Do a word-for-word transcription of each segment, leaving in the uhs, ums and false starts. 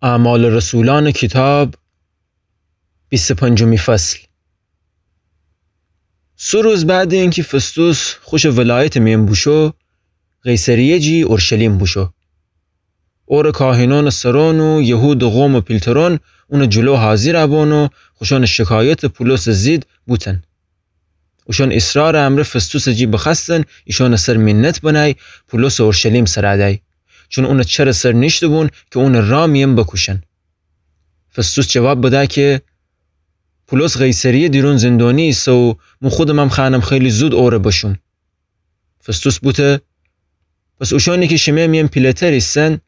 اعمال رسولان کیتاب، بیست و پنجمی فصل. سه روز بعد اینکی فستوس خوشٚ ولایتٚ میأن بوشو، قیصریه جی اورشلیم بوشو. اورٚ کاهنأنٚ سرأن و یهودٚ قومٚ پیلترأن اونٚ جلو حاضر بون و خوشأنٚ شکایتٚ پولسٚ ضد بوتن. اوشأن اصرارٚ امرأ فستوسٚ جی بخوأستن ایشأنٚ سر مینت بنأی پولسٚ اورشلیم سر دأی، چون اونٚ چرٚ سر نیشته‌بون کی اونٚ رأ میأن بکوشن. فستوس جواب بده کی پولس قیصریه دیرون زندانی ایسه و مو خودمم خوأنم خیلی زود اورٚ بشوم. فستوس بوته: پس اوشأنی کی شیمه میأن پیله‌تر ایسن،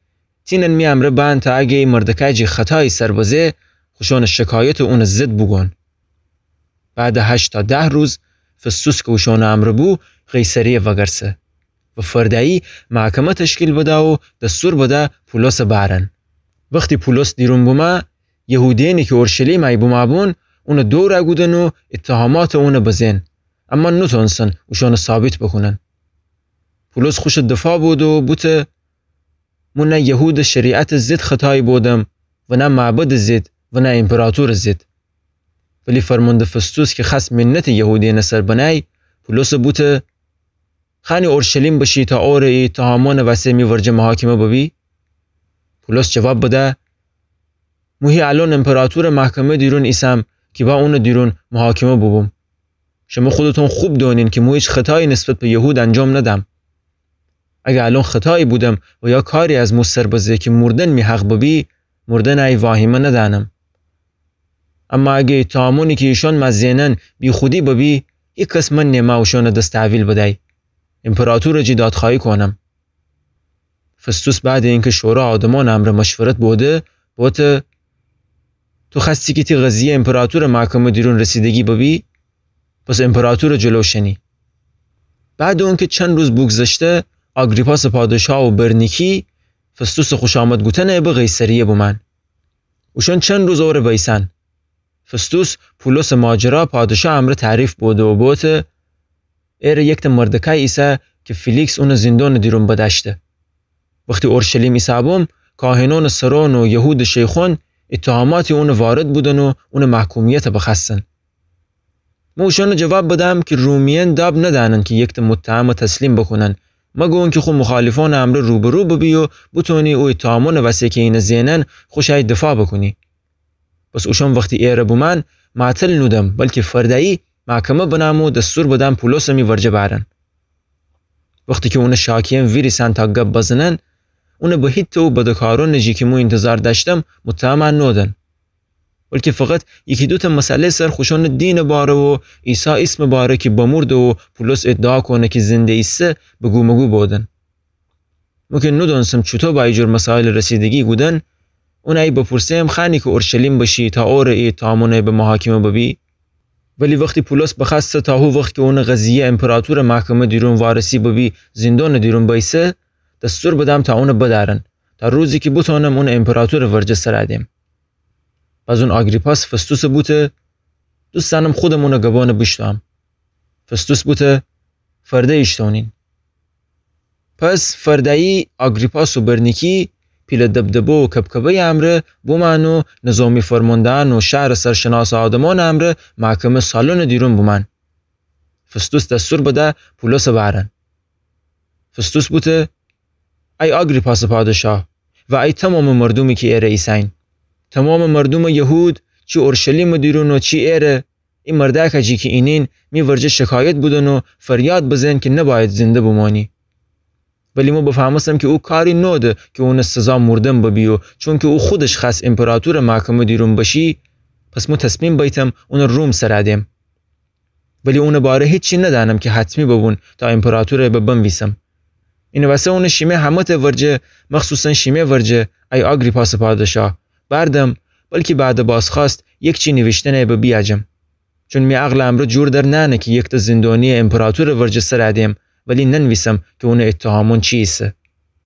تینن می امرأ بأن تا اگه ای مردکای جی خطایی سر بزه، خوشأنٚ شکایتٚ اونٚ ضد بوگون. بعدٚ هشت تا ده روز فستوس کی اوشأنٚ امرأ بو، قیصریه وأگرسه و فردأیی محکمه تشکیل بده و دستور بده پولسٚ بأرن. وختی پولس دیرون بومه، یهودیأنی کی اورشلیم ای بومه‌بون، اونٚ دور کودن و اتهاماتٚ اونٚ بزه‌ن، اما نوتأنستن اوشأنٚ ثابت بوکونن. پولس خوشٚ دفاع بوده و بوته: مو نه یهودٚ شریعتٚ ضد خطایی بودم و نه معبدٚ ضد و نه ایمپراطورٚ ضد. ولی فرمانده فستوس کی خوأست مینتٚ یهودیأنٚ سر بنأی، پولسٚ بوته: خوأنی اورشلیم بشی تا اورٚ ای اتهامأنٚ وسه می ورجه محاکمه ببی؟ پولس جواب بده: مو هی الأن ایمپراطورٚ محکمه دیرون ایسم کی با اونٚ دیرون محاکمه بوبوم. شمه خودتون خوب دونین کی مو هیچ خطایی نسبت به یهود انجام ندم. اگه الأن خطایی بودم و یا کاری از مو سر بزه کی مردن می حق ببی، مردن ای واهیمه ندأنم. اما اگه اتهامأنی کی ایشأن مه زئنن بیخودی ببی، هیکس من نیمه اوشأنٚ دس تحویل بدأی. ایمپراطورٚ جی دادخوأیی کونم. فستوس بعدٚ اینکی شورا آدمأنٚ امرأ مشورت بوده، بوته: تو خوأستی کی تی قضیه ایمپراطورٚ محکمه دیرون رسیدگی ببی؟ پس ایمپراطورٚ جلو شنی. بعدٚ اونکی چند روز بوگذشته، آگریپاسٚ پادشاه و برنیکی فستوسٚ خوشامد گوتنٚ ابٚ قیصریه بومأن. اوشأن چند روز اورٚ بیسأن. فستوس پولسٚ ماجرا پادشاه امرأ تعریف بوده و بوته: ایرٚ یکته مردکای ایسه کی فیلیکس اونٚ زندانٚ دیرون بدأشته. وختی اورشلیم ایسه‌بوم، کاهنأنٚ سرأن و یهودٚ شیخوأن اتهاماتی اونٚ وارد بودن و اونٚ محکومیت بخوأستن. مو اوشأنٚ جواب بدم کی رومیأن داب ندأنن کی یکته متهم تسلیم بوکونن، مگو اونکی خو مخالفأنٚ امرأ روبرو ببی و بتونی او اتهامأنٚ وسه کی اینه زئنن خوشأی دفاع بوکونی. پس اوشأن وختی ایرٚ بومأن معطل نودم، بلکی فردأیی محکمه بنم و دستور بدم پولسٚ می ورجه بأرن. وختی کی اونٚ شاکیأن ویریسأن تا گب بزنن، اونٚ به هیته او بدکارأنٚ جی کی مو اینتظار دأشتم متهم نودن، بلکی فقط یکی دوته مسئله‌یٚ سر خوشأنٚ دینٚ باره و عیسی ایسمٚ باره کی بمرده و پولس ادعا کونه کی زنده ایسه بگو مگو بودن. مو کی نودأنستم چوطو به ای جور مسائل رسیدگی کودن، اونأی بپرسم خوأنی کی اورشلیم بشی تا اورٚ ای اتهامأنٚ به محاکمه ببی؟ ولی وختی پولس بخوأسته تا هو وخت کی اونٚ قضیه ایمپراطورٚ محکمه دیرون وارسی ببی زندانٚ دیرون بیسه، دستور بدم تا اونٚ بدأرن تا روزی کی بتونم اونٚ ایمپراطورٚ ورجه سر دم. بازون آگریپاس فستوسٚ بوته: دوست دأنم خودم اونٚ گبأنٚ بیشتوم. فستوس بوته: فرده ایشتونین. پس فردأیی آگریپاس و برنیکی پیله دبدبه و کبکبه‌یٚ امرأ بومأن و نظامی فرمانده‌یأن و شهرٚ سرشناسٚ آدمأنٚ امرأ محکمه سالونٚ دیرون بومأن. فستوس دستور بده پولسٚ بأرن. فستوس بوته: ای آگریپاسٚ پادشاه و ای تومامٚ مردومی کی ایرٚ ایسه‌یین، تومامٚ مردومٚ یهود، چی اورشلیمٚ دیرون و چی ایرٚ، ای مردأکه جی کی اینین می ورجه شکایت بودن و فریاد بزن کی نبأید زنده بمانی. ولی مو بفهمستم کی او کاری نوده کی اونٚ سزا مردن ببی و چونکی او خودش خوأست ایمپراطورٚ محکمه دیرون بشی، پس مو تصمیم بیتم اونٚ روم سر دم. ولی اونٚ باره هیچی ندأنم کی حتمی ببون تا ایمپراطورٚ به بنویسم. اینٚ وسه اونٚ شیمه همه‌تٚ ورجه، مخصوصاً شیمه ورجه، ای آگریپاسٚ پادشاه، بأردم، بلکی بعدٚ بازخوأست یکچی نیویشتنٚ به بیأجم. چون می عقلٚ امرأ جور در نأنه کی یکته زندانیٚ ایمپراطورٚ ورجه سر دم، ولی ننویسم کی اونٚ اتهامأن چی ایسه.